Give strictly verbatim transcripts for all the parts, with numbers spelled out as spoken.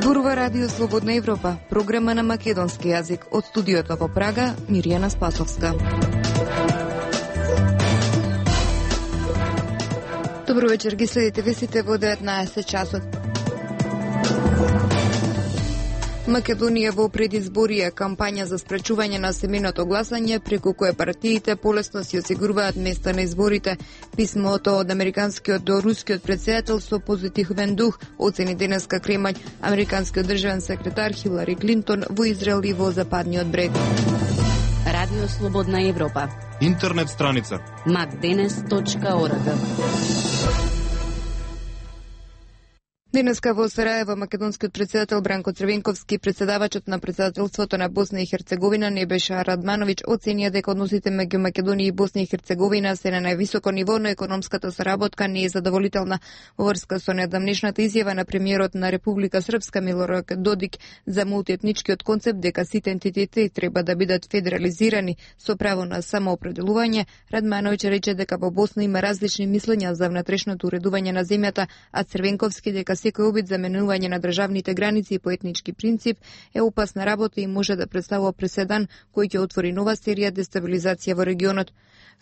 Зборува Радио Слободна Европа, програма на македонски јазик. Од студиото во Прага, Миријана Спасовска. Добро вечер, ги следите вестите во деветнаесет часот. Македонија во предизборија кампања за спречување на семеното гласање, преку кое партиите полесно си осигуруваат места на изборите. Писмото од американскиот до рускиот претседател со позитивен дух оцени денеска Кремљ, американскиот државен секретар Хилари Клинтон во Израел и во Западниот брег. Радио Слободна Европа. Интернет страница макденес точка орг. Денеска во Сараево македонскиот претседател Бранко Црвенковски, претседавачот на претседателството на Босна и Херцеговина Небеша Радмановиќ оценија дека односите меѓу Македонија и Босна и Херцеговина се на највисоко ниво, но економската соработка не е задоволителна. Во врска со недавнешната изјава на премиерот на Република Српска Милорад Додик за мултиетничкиот концепт дека сите ентитети треба да бидат федерализирани со право на самоопределување, Радмановиќ рече дека во Босна има различни мислења за внатрешното уредување на земјата, а Црвенковски дека секој обид за менување на државните граници по етнички принцип е опасна работа и може да представува преседан кој ќе отвори нова серија дестабилизација во регионот.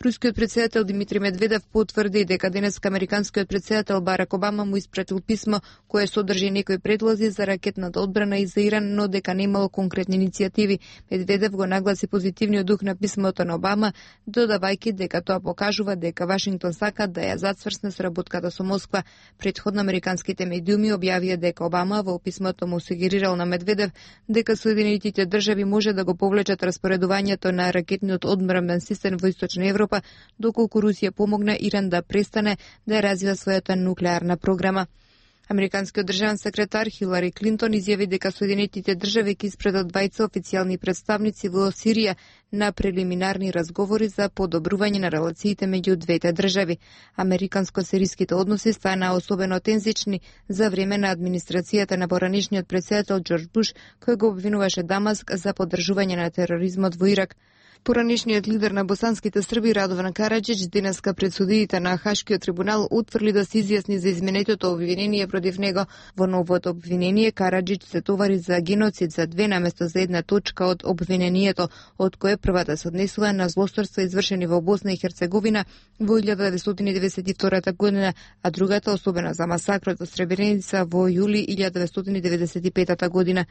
Рускиот претседател Димитри Медведев потврди дека денеска американскиот претседател Барак Обама му испратил писмо кое содржи некои предлози за ракетната одбрана и за Иран, но дека немало конкретни иницијативи. Медведев го нагласи позитивниот дух на писмото на Обама, додавајќи дека тоа покажува дека Вашингтон сака да ја зацврсне соработката со Москва. Претходно американските медиуми објавија дека Обама во писмото му сугерирал на Медведев дека Соединетите држави може да го повлечат распоредувањето на ракетниот одбранбен систем во Источна Европа, доколку Русија помогна Иран да престане да ја развива својата нуклеарна програма. Американскиот државен секретар Хилари Клинтон изјави дека Соединетите држави ќе испратат двајца официјални представници во Сирија на прелиминарни разговори за подобрување на релациите меѓу двете држави. Американско-сириските односи стана особено тензични за време на администрацијата на поранешниот претседател Џорџ Буш, кој го обвинуваше Дамаск за поддржување на тероризмот во Ирак. Поранешниот лидер на босанските срби Радован Караџич денеска пред судиите на Хашкиот трибунал утврди да се изјасни за изменетото обвинение против него. Во новото обвинение Караџич се товари за геноцид за две наместо за една точка од обвинението, од кое првата се однесува на злосторства извршени во Босна и Херцеговина во илјада деветстотини деведесет и втора година, а другата особено за масакрот во Сребреница во јули илјада деветстотини деведесет и пета година.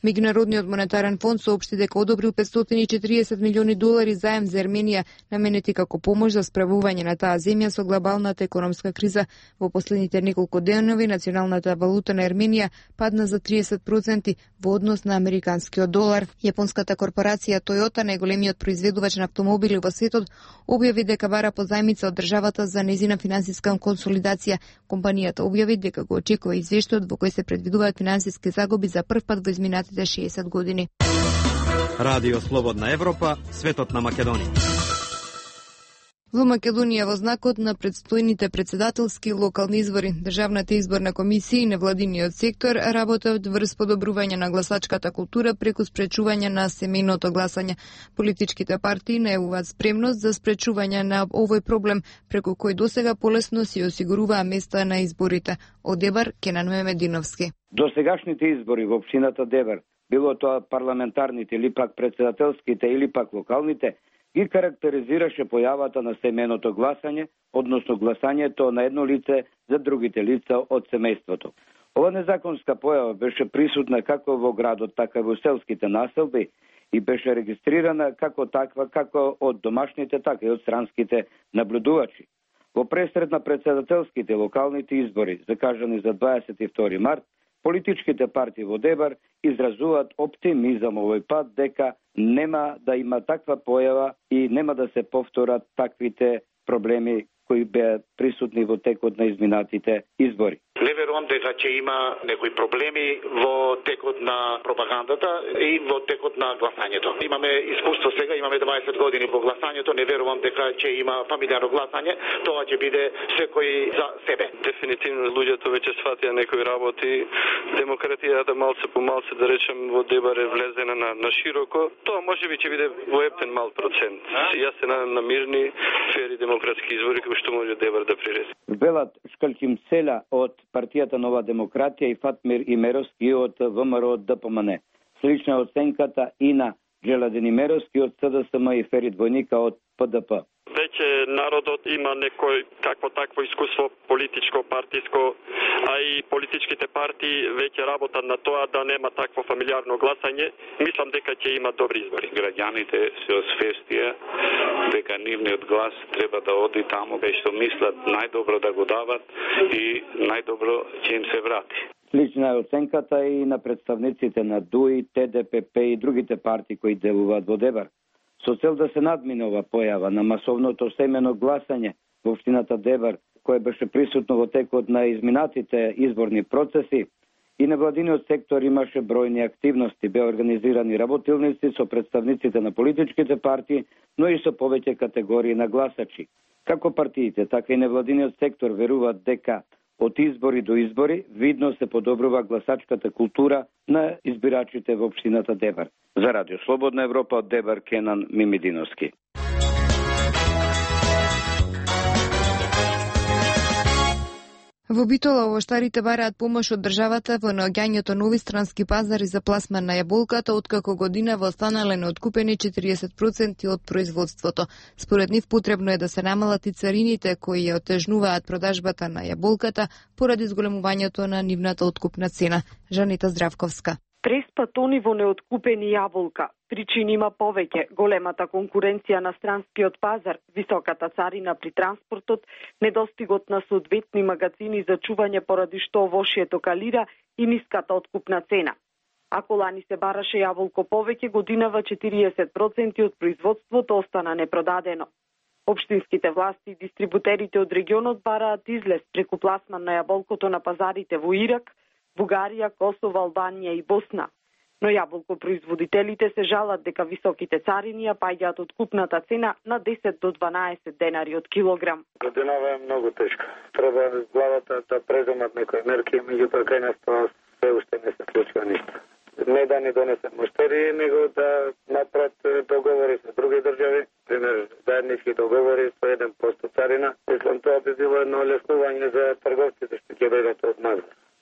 Меѓународниот монетарен фонд соопшти дека одобрил петстотини и четириесет милиони долари заем за Ерменија, наменети како помош за справување на таа земја со глобалната економска криза. Во последните неколку денови националната валута на Ерменија падна за триесет проценти во однос на американскиот долар. Јапонската корпорација Toyota, најголемиот произведувач на автомобили во светот, објави дека бара позајмица од државата за нејзина финансиска консолидација. Компанијата објави дека го очекува извештајот во кој се предвидуваат финансиски загуби за прв пат во изминатите шеесет години. Радио Слободна Европа, светот на Македонија. Во Македонија во знакот на предстојните претседателски и локални избори, Државната изборна комисија и невладиниот сектор работат врз подобрување на гласачката култура преку спречување на семејното гласање. Политичките партии најавуваат спремност за спречување на овој проблем, преку кој досега полесно си осигуруваа места на изборите. Од Дебар, Кенан Мемединовски. Досегашните избори во општината Дебар, било тоа парламентарните или пак претседателските или пак локалните, ги карактеризираше појавата на семејното гласање, односно гласањето на едно лице за другите лица од семејството. Ова незаконска појава беше присутна како во градот, така и во селските населби и беше регистрирана како таква, како од домашните, така и од странските наблюдувачи. Во пресред на претседателските локалните избори, закажани за дваесет и втори март, политичките партии во Дебар изразуваат оптимизам овој пат дека нема да има таква појава и нема да се повторат таквите проблеми кои беа присутни во текот на изминатите избори. Не верувам дека ќе има некои проблеми во текот на пропагандата и во текот на гласањето. Имаме искуство сега, имаме дваесет години во гласањето, не верувам дека ќе има фамилијарно гласање, тоа ќе биде секој за себе. Дефинитивно луѓето веќе сватија некои работи. Демократијата малце по малце, да речем, во Дебар е влезена на, на широко. Тоа можеби ќе биде во ептен мал процент. Јас се надам на мирни, фери демократски избори кои што може Дебар да прирези. Велат Шкалким Села од партијата Нова демократија и Фатмир Имеровски од ВМРО Д П М Н. Слична оценката и на Джеладин Имеровски од С Д С М и Ферид Војника од П Д П. Веќе народот има некој какво такво искуство политичко, партиско, а и политичките партии веќе работат на тоа да нема такво фамилиарно гласање. Мислам дека ќе има добри избори. Граѓаните се освестија дека нивниот глас треба да оди таму кај што мислат најдобро да го дават и најдобро ќе им се врати. Лична е оценката и на представниците на Д У И, Т Д П П и другите партии кои делуваат во Дебар. Со цел да се надмине ова појава на масовното семено гласање во општината Дебар, кое беше присутно во текот на изминатите изборни процеси, и невладиниот сектор имаше бројни активности, беа организирани работилници со представниците на политичките партии, но и со повеќе категории на гласачи. Како партиите, така и невладиниот сектор веруваат дека од избори до избори видно се подобрува гласачката култура на избирачите во општината Дебар. За Радио Слободна Европа од Дебар, Кенан Мимидиновски. Во Битола овоштарите бараат помош од државата во наоѓањето нови странски пазари за пласман на јаболката, откако годинава останале неоткупени четириесет проценти од производството. Според нив потребно е да се намалат и царините кои ја отежнуваат продажбата на јаболката поради зголемувањето на нивната откупна цена. Жанита Здравковска. Преспа тони во неоткупени јаболка. Причини има повеќе: големата конкуренција на странскиот пазар, високата царина при транспортот, недостигот на соодветни магазини за чување поради што овошјето калира и ниската откупна цена. Ако лани се бараше јаболко повеќе, годинава четириесет проценти од производството остана непродадено. Општинските власти и дистрибутерите од регионот бараат излез преку пласман на јаболкото на пазарите во Ирак, Бугарија, Косово, Албанија и Босна. Но јаболкопроизводителите се жалат дека високите царини ја паѓаат откупната цена на десет до дванаесет денари од килограм. Годинава е многу тешка. Треба главата да преземат некои мерки, меѓутоа кај нас тоа се уште не се случува ништо. Не да ни донесат муштери, него да направат договори со други држави, пример заеднички договори со еден процент царина. Мислам, тоа би било едно олеснување за трговците што ќе дојдат од нас.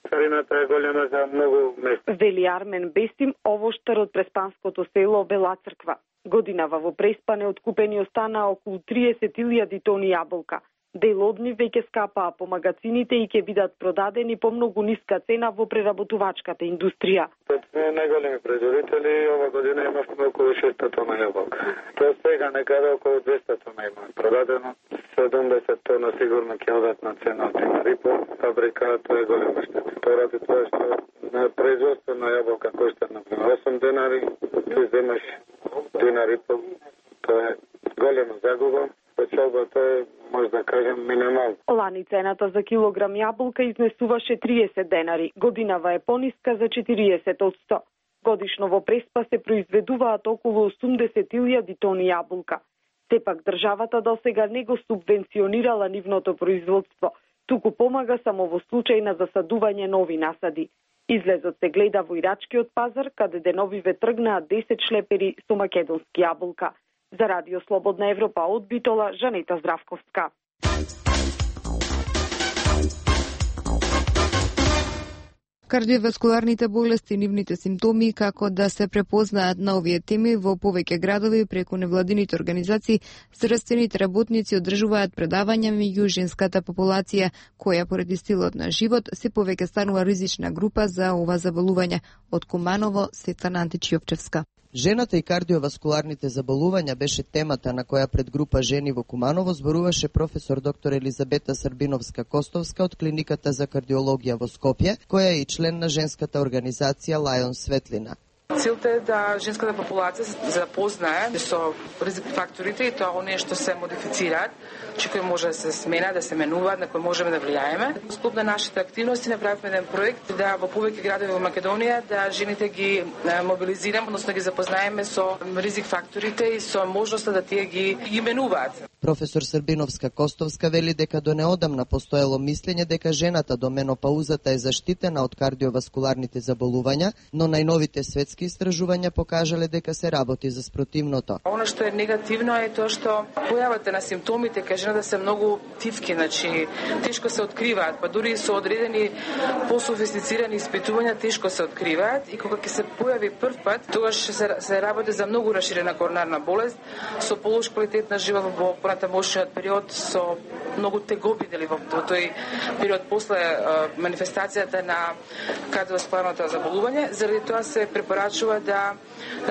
Царината е голема за многу места. Вели Армен Бесим, овоштар од преспанското село Бела Црква. Годинава во Преспане откупени остана околу триесет илјади тони јаболка. Дел од нив веќе скапаа по магазините и ќе бидат продадени по многу ниска цена во преработувачката индустрија. Од најголеми производители ова година имавме околу шеста тона јаболка. До сега некаде околу двеста тона има продадено. седумдесет тона сигурно ќе одат на цена од динар и пол. Фабриката е голема штета. Поради тоа што на производство на јаболка кошта на осум денари, ти земаш динар и пол. Тоа е голема загуба. Печалбата е, може да кажем, минимална. Лани цената за килограм јаболка изнесуваше триесет денари. Годинава е пониска за четириесет одсто. Годишно во Преспа се произведуваат околу осумдесет илјади тони јаболка. Сепак државата досега не го субвенционирала нивното производство, туку помага само во случај на засадување нови насади. Излезот се гледа во ирачкиот пазар, каде деновиве тргнаа десет шлепери со македонски јаболка. За Радио Слободна Европа од Битола, Жанета Здравковска. Кардиоваскуларните болести и нивните симптоми, како да се препознаат на овие теми во повеќе градови преку невладините организации, здравствените работници одржуваат предавања меѓу женската популација, која поради стилот на живот се повеќе станува ризична група за ова заболување. Од Куманово, Светлана Античиовчевска. Жената и кардиоваскуларните заболувања беше темата на која пред група жени во Куманово зборуваше професор доктор Елизабета Србиновска-Костовска од Клиниката за кардиологија во Скопје, која е и член на женската организација Лајон Светлина. Целта е да женската популација се запознае со ризик факторите и тоа оние што се модифицираат, че кои може да се смена, да се менуваат, на кои можеме да влијаеме. Во склоп на нашите активности направивме еден проект да во повеќе градови во Македонија да жените ги мобилизираме, односно ги запознаеме со ризик факторите и со можноста да тие ги именуваат. Професор Србиновска-Костовска вели дека до неодамна постоело мислење дека жената до менопаузата е заштитена од кардиоваскуларните заболувања, но најновите светски истражувања покажале дека се работи за спротивното. Оно што е негативно е тоа што појавата на симптомите кај жената се многу тивки, значи тешко се откриваат, па дури со одредени пософистицирани испитувања тешко се откриваат и кога ќе се појави прв пат, тогаш се, се работи за многу расширена коронарна болест со полош квалитет на живот во понатамошниот период, со многу тегоби дели во тој период после а, манифестацијата на кардиоваскуларното заболување. Заради тоа се препорачува да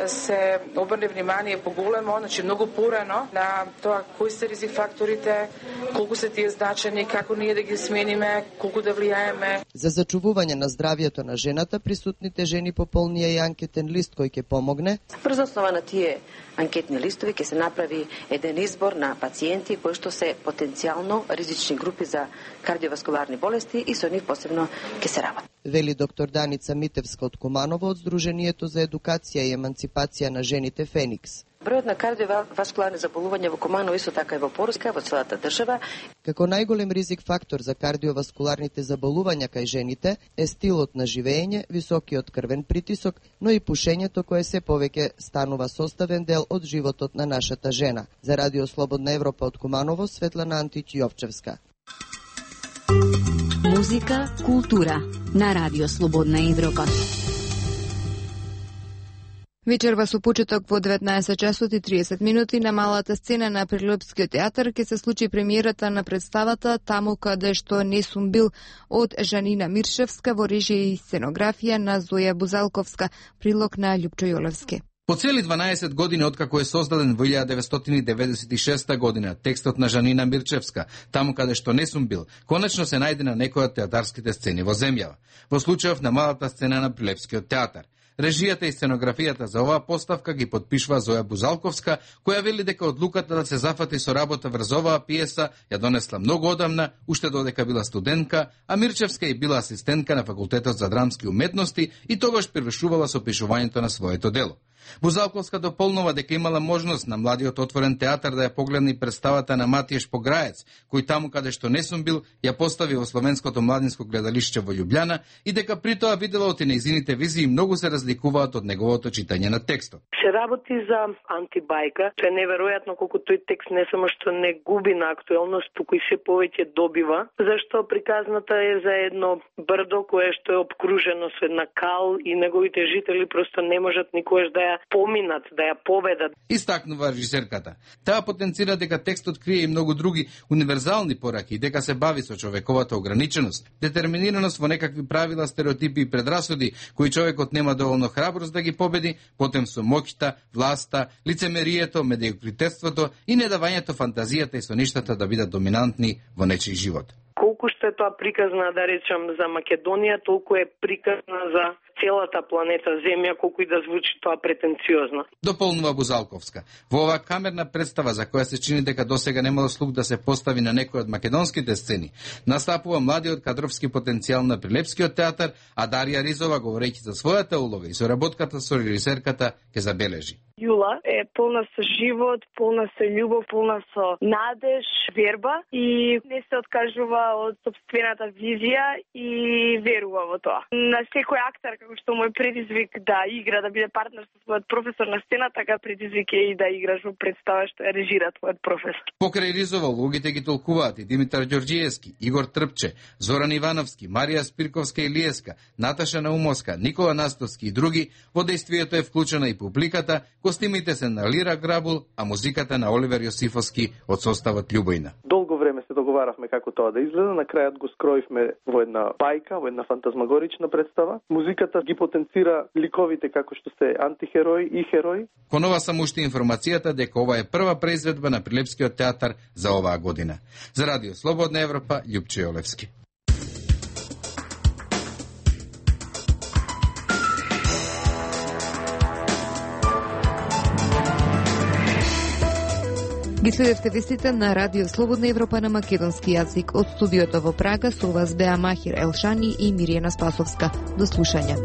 се обрне внимание поголемо, значи многу порано на тоа кои се ризик факторите, колку се тие значени, како ние да ги смениме, колку да влијаеме. За зачувување на здравието на жената, присутните жени пополнија и анкетен лист кој ќе помогне. Врз основа на тие анкетни листови ќе се направи еден избор на пациенти кои што се потенцијално ризични групи за кардиоваскуларни болести и со нив посебно ќе се работи. Вели доктор Даница Митевска од Куманово од Сдруженијето за едукација и еманципација на жените Феникс. Бројот на кардиоваскуларни заболувања во Куманово исто така и во Поруска, во целата држава. Како најголем ризик фактор за кардиоваскуларните заболувања кај жените е стилот на живење, високиот крвен притисок, но и пушењето кое се повеќе станува составен дел од животот на нашата жена. За Радио Слободна Европа од Куманово, Светлана Антич Јовчевска. Музика, култура на Радио Слободна Европа. Вечерва со почеток во деветнаесет часот и триесет минути на малата сцена на Прилепскиот театар ќе се случи премиерата на представата Таму каде што не сум бил од Жанина Миршевска во режија и сценографија на Зоја Бузалковска, прилог на Љупчо Јолевски. По цели дванаесет години откако е создаден во илјада деветстотини деветдесет и шеста година текстот на Жанина Мирчевска, Таму каде што не сум бил, конечно се најде на некој од театарските сцени во земјава. Во случајов на малата сцена на Прилепскиот театар. Режијата и сценографијата за оваа поставка ги подпишува Зоја Бузалковска, која вели дека одлуката да се зафати со работа врз оваа пиеса ја донесла многу одамна, уште додека била студентка, а Мирчевска и била асистентка на Факултетот за драмски уметности и тогаш привршувала со пишувањето на своето дело. Бузалковска дополнува дека имала можност на младиот отворен театар да ја погледне представата на Матиеш Пограец, кој Таму каде што не сум бил ја постави во Словенското младинско гледалиште во Љубљана и дека при тоа видела од нејзините визии многу се разликуваат од неговото читање на текстот. Се работи за антибајка, тоа е неверојатно колку тој текст не само што не губи на актуелност, туку и се повеќе добива, зашто приказната е за едно брдо кое што е обкружено со една кал и неговите жители просто не можат никогаш да ја поминат, да ја победат. Истакнува режисерката. Таа потенцира дека текстот крие и многу други универзални пораки и дека се бави со човековата ограниченост, детерминираност во некакви правила, стереотипи и предрасуди кои човекот нема доволно храброст да ги победи, потем со моќта, власта, лицемерието, медиокритетството и недавањето фантазијата и соништата да бидат доминантни во нечиј живот. Колку што е тоа приказна, да речам, за Македонија, толку е приказна за целата планета Земја, колку и да звучи тоа претенциозно. Дополнува Бузалковска. Во оваа камерна представа, за која се чини дека досега немало слух да се постави на некој од македонските сцени, настапува младиот кадровски потенцијал на Прилепскиот театар, а Дарија Ризова, говорејќи за својата улога и соработката со режисерката, ќе забележи. Јула е полна со живот, полна со љубов, полна со надеж, верба и не се откажува од собствената визија и верува во тоа. На секој актер, како што мој предизвик да игра, да биде партнер со својот професор на сцена, така предизвик е и да играш во представа што ја режира твојот професор. Покрај Ризова, луѓите ги толкуваат и Димитар Ѓорѓиевски, Игор Трпче, Зоран Ивановски, Марија Спирковска Илиевска, Наташа Наумовска, Никола Настовски и други. Во дејствието е вклучена и публиката. Костимите се на Лира Грабул, а музиката на Оливер Јосифовски од составот Љубојна. Долго време се договаравме како тоа да изгледа, на крајот го скроивме во една бајка, во една фантазмагорична представа. Музиката ги потенцира ликовите како што се антихерои и херои. Кон ова само уште информацијата дека ова е прва преизведба на Прилепскиот театар за оваа година. За Радио Слободна Европа, Љупчо Јолевски. Ги следевте вестите на Радио Слободна Европа на македонски јазик. Од студиото во Прага со вас беа Махир Елшани и Миријана Спасовска. До слушање.